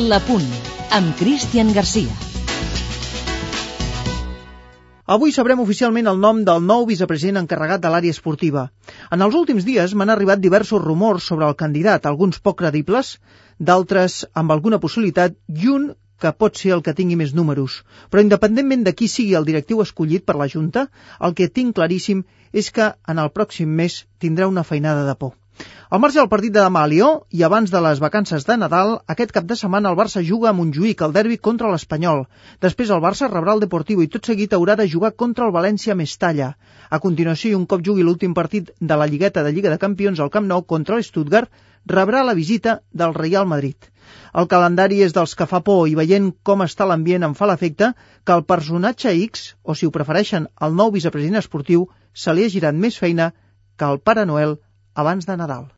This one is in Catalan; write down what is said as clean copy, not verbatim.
La Punt, amb Cristian Garcia. Avui sabrem oficialment el nom del nou vicepresident encarregat de l'àrea esportiva. En els últims dies m'han arribat diversos rumors sobre el candidat, alguns poc credibles, d'altres amb alguna possibilitat i un que pot ser el que tingui més números. Però independentment de qui sigui el directiu escollit per la Junta, el que tinc claríssim és que en el pròxim mes tindrà una feinada de por. Al marge del partit de demà a Lió i abans de les vacances de Nadal, aquest cap de setmana el Barça juga a Montjuïc, el derbi contra l'Espanyol. Després el Barça rebrà el Deportivo i tot seguit haurà de jugar contra el València a Mestalla. A continuació, i un cop jugui l'últim partit de la Lligueta de Lliga de Campions al Camp Nou contra l'Stuttgart, rebrà la visita del Real Madrid. El calendari és dels que fa por i veient com està l'ambient em fa l'efecte que el personatge X, o si ho prefereixen el nou vicepresident esportiu, se li ha girat més feina que el Pare Noel abans de Nadal.